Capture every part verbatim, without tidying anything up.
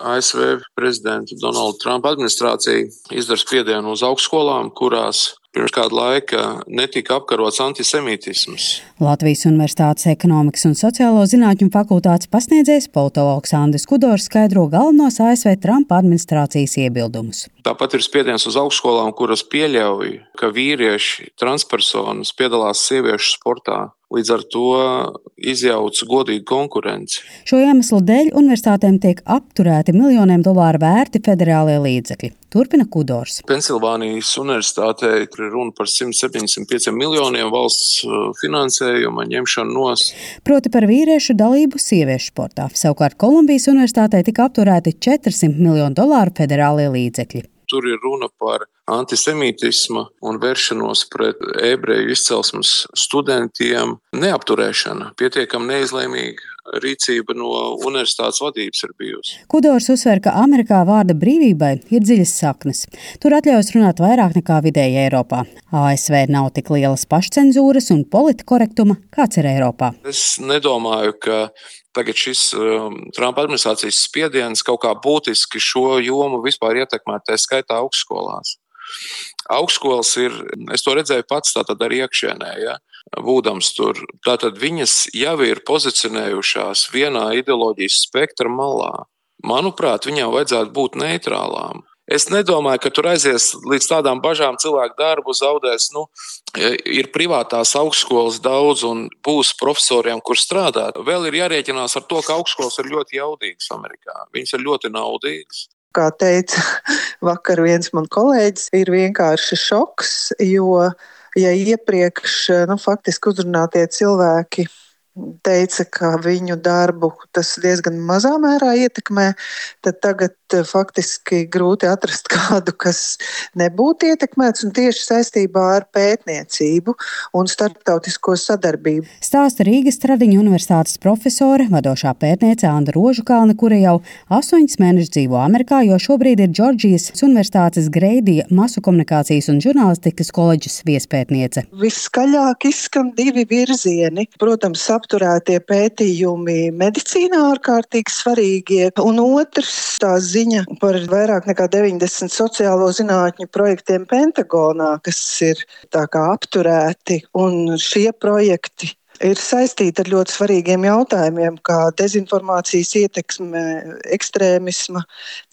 A S V prezidenta Donalda Trumpa administrācija izdara spiedienu uz augstskolām, kurās pirms kāda laika netika apkarots antisemītisms. Latvijas Universitātes ekonomikas un sociālo zinātņu fakultātes pasniedzējs politologs Andris Kudors skaidro galvenos A S V Trumpa administrācijas iebildumus. Tāpat ir spiediens uz augstskolām, kuras pieļauj, ka vīrieši, transpersonas piedalās sieviešu sportā. Līdz ar to izjauc godīgu konkurenci. Šo iemeslu dēļ universitātēm tiek apturēti miljoniem dolāru vērti federālie līdzekļi. Turpina Kudors. Pensilvānijas universitātē ir runa par simt septiņdesmit pieciem miljoniem valsts finansējuma ņemšanu nos. Proti par vīriešu dalību sieviešu sportā. Savukārt Kolumbijas universitātē tika apturēti četrsimt miljonu dolāru federālie līdzekļi. Tur ir runa par antisemītismu un vēršanos pret ebreju izcelsmes studentiem. Neapturēšana, pietiekami neizlēmīga rīcība no universitātes vadības ir bijusi. Kudors uzsver, ka Amerikā vārda brīvībai ir dziļas saknes. Tur atļaujas runāt vairāk nekā vidēji Eiropā. A S V nav tik lielas pašcenzūras un politkorektuma, kāds ir Eiropā. Es nedomāju, ka tagad šis um, Trumpa administrācijas spiediens kaut kā būtiski šo jomu vispār ietekmē, tā skaitā augstskolās. Augstskolas ir, es to redzēju pats tātad arī iekšienē, ja, būdams tur. Tātad viņas jau ir pozicionējušās vienā ideoloģijas spektra malā. Manuprāt, viņām vajadzētu būt neitrālām. Es nedomāju, ka tur aizies līdz tādām bažām cilvēku darbu zaudēs. Nu, ir privātās augstskolas daudz un būs profesoriem, kur strādāt. Vēl ir jārēķinās ar to, ka augstskolas ir ļoti jaudīgas Amerikā. Viņas ir ļoti naudīgas. Kā teica vakar viens man kolēģis, ir vienkārši šoks, jo ja iepriekš nu, faktiski uzrunātie cilvēki teica, ka viņu darbu tas diezgan mazā mērā ietekmē, tad tagad faktiski grūti atrast kādu, kas nebūtu ietekmēts un tieši saistībā ar pētniecību un starptautisko sadarbību. Stāsta Rīgas Stradiņu universitātes profesore, vadošā pētniece Anda Rožukalne, kura jau astoņus mēnešus dzīvo Amerikā, jo šobrīd ir Džordžijas universitātes Greidija masu komunikācijas un žurnālistikas koledžas viespētniece. Viskaļāk izskan divi virzieni. Protams, apturētie pētījumi medicīnā ārkārtīgi svarīgie, un otrs tā ziņa par vairāk nekā deviņdesmit sociālo zinātņu projektiem Pentagonā, kas ir tā kā apturēti, un šie projekti ir saistīti ar ļoti svarīgiem jautājumiem, kā dezinformācijas ietekme, ekstrēmisma,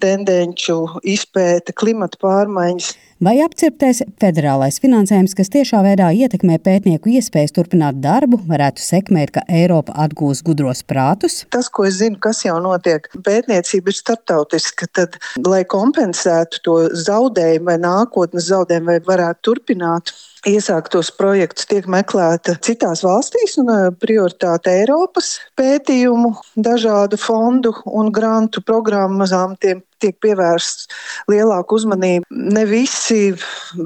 tendenču izpēte, klimata pārmaiņas. Vai apcirptais federālais finansējums, kas tiešā veidā ietekmē pētnieku iespējas turpināt darbu, varētu sekmēt, ka Eiropa atgūs gudros prātus? Tas, ko es zinu, kas jau notiek, pētniecība ir starptautiska, tad, lai kompensētu to zaudējumu vai nākotnes zaudējumu, vai varētu turpināt iesāktos projektus, tiek meklēta citās valstīs un prioritāte Eiropas pētījumu, dažādu fondu un grantu programmām tiem tiek pievērsts lielāku uzmanību. Ne visi,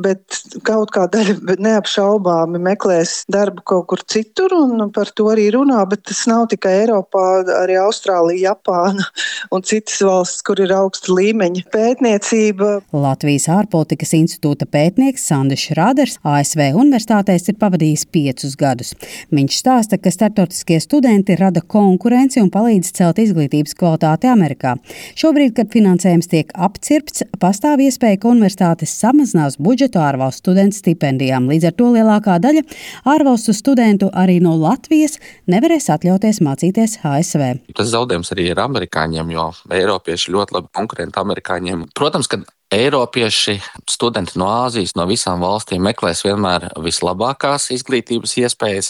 bet kaut kā daļa neapšaubāmi meklēs darbu kaut kur citur un par to arī runā, bet tas nav tikai Eiropā, arī Austrālija, Japāna un citas valsts, kur ir augsta līmeņa pētniecība. Latvijas ārpolitikas institūta pētnieks Sandis Šrāders A S V universitātēs ir pavadījis piecus gadus. Viņš stāsta, ka starptautiskie studenti rada konkurenci un palīdz celt izglītības kvalitāti Amerikā. Šobrīd, kad finansējums tiek apcirpts, pastāv iespēja, ka universitātes samazinās budžetu ārvalstu studentu stipendijām. Līdz ar to lielākā daļa ārvalstu studentu arī no Latvijas nevarēs atļauties mācīties A S V. Tas zaudējums arī ir amerikāņiem, jo eiropieši ļoti labi konkurenti amerikāņiem. Protams, ka Eiropieši, studenti no Āzijas, no visām valstīm meklēs vienmēr vislabākās izglītības iespējas,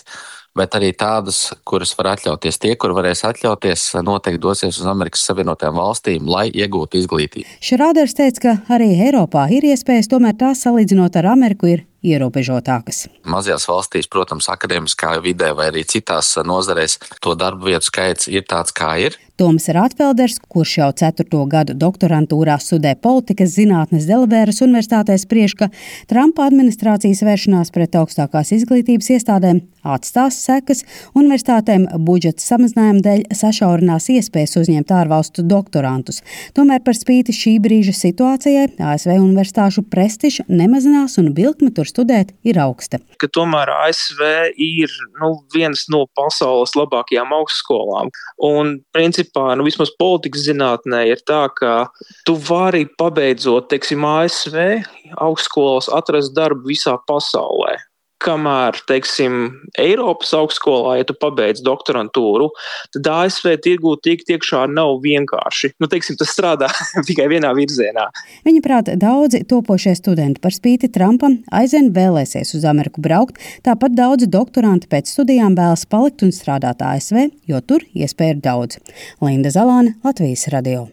bet arī tādas, kuras var atļauties. Tie, kur varēs atļauties, noteikti dosies uz Amerikas Savienotajām valstīm, lai iegūtu izglītību. Šrāders teica, ka arī Eiropā ir iespējas, tomēr tās salīdzinot ar Ameriku ir ierobežotākas. Mazajās valstīs, protams, akadēmiskā vidē vai arī citās nozarēs to darbu vietu skaits ir tāds, kā ir. Toms Rātfelders, kurš jau ceturto gadu doktorantūrā studē politikas zinātnes Delavēras universitātē, spriež, ka Trumpa administrācijas vēršanās pret augstākās izglītības iestādēm atstās sekas, universitātēm budžeta samazinājuma dēļ sašaurinās iespējas uzņemt ārvalstu doktorantus. Tomēr par spīti šī brīža situācijai A S V universitāšu prestižs nemazinās un vilkme tur studēt, ir augsta. Ka tomēr A S V ir nu, viens no pasaules labākajām augstskolām. Un principā, nu, vismaz politikas zinātnē ir tā, ka tu vari pabeidzot, teiksim, A S V augstskolas atrast darbu visā pasaulē. Kamēr, teiksim, Eiropas augstskolā, ja tu pabeidz doktorantūru, tad A S V tirgū tikt iekšā nav vienkārši. Nu, teiksim, tas strādā tikai vienā virzienā. Viņa prāt, daudzi topošie studenti par spīti Trumpam aizvien vēlēsies uz Ameriku braukt, tāpat daudzi doktoranti pēc studijām vēlas palikt un strādāt A S V, jo tur iespēja ir daudz. Linda Zalāne, Latvijas radio.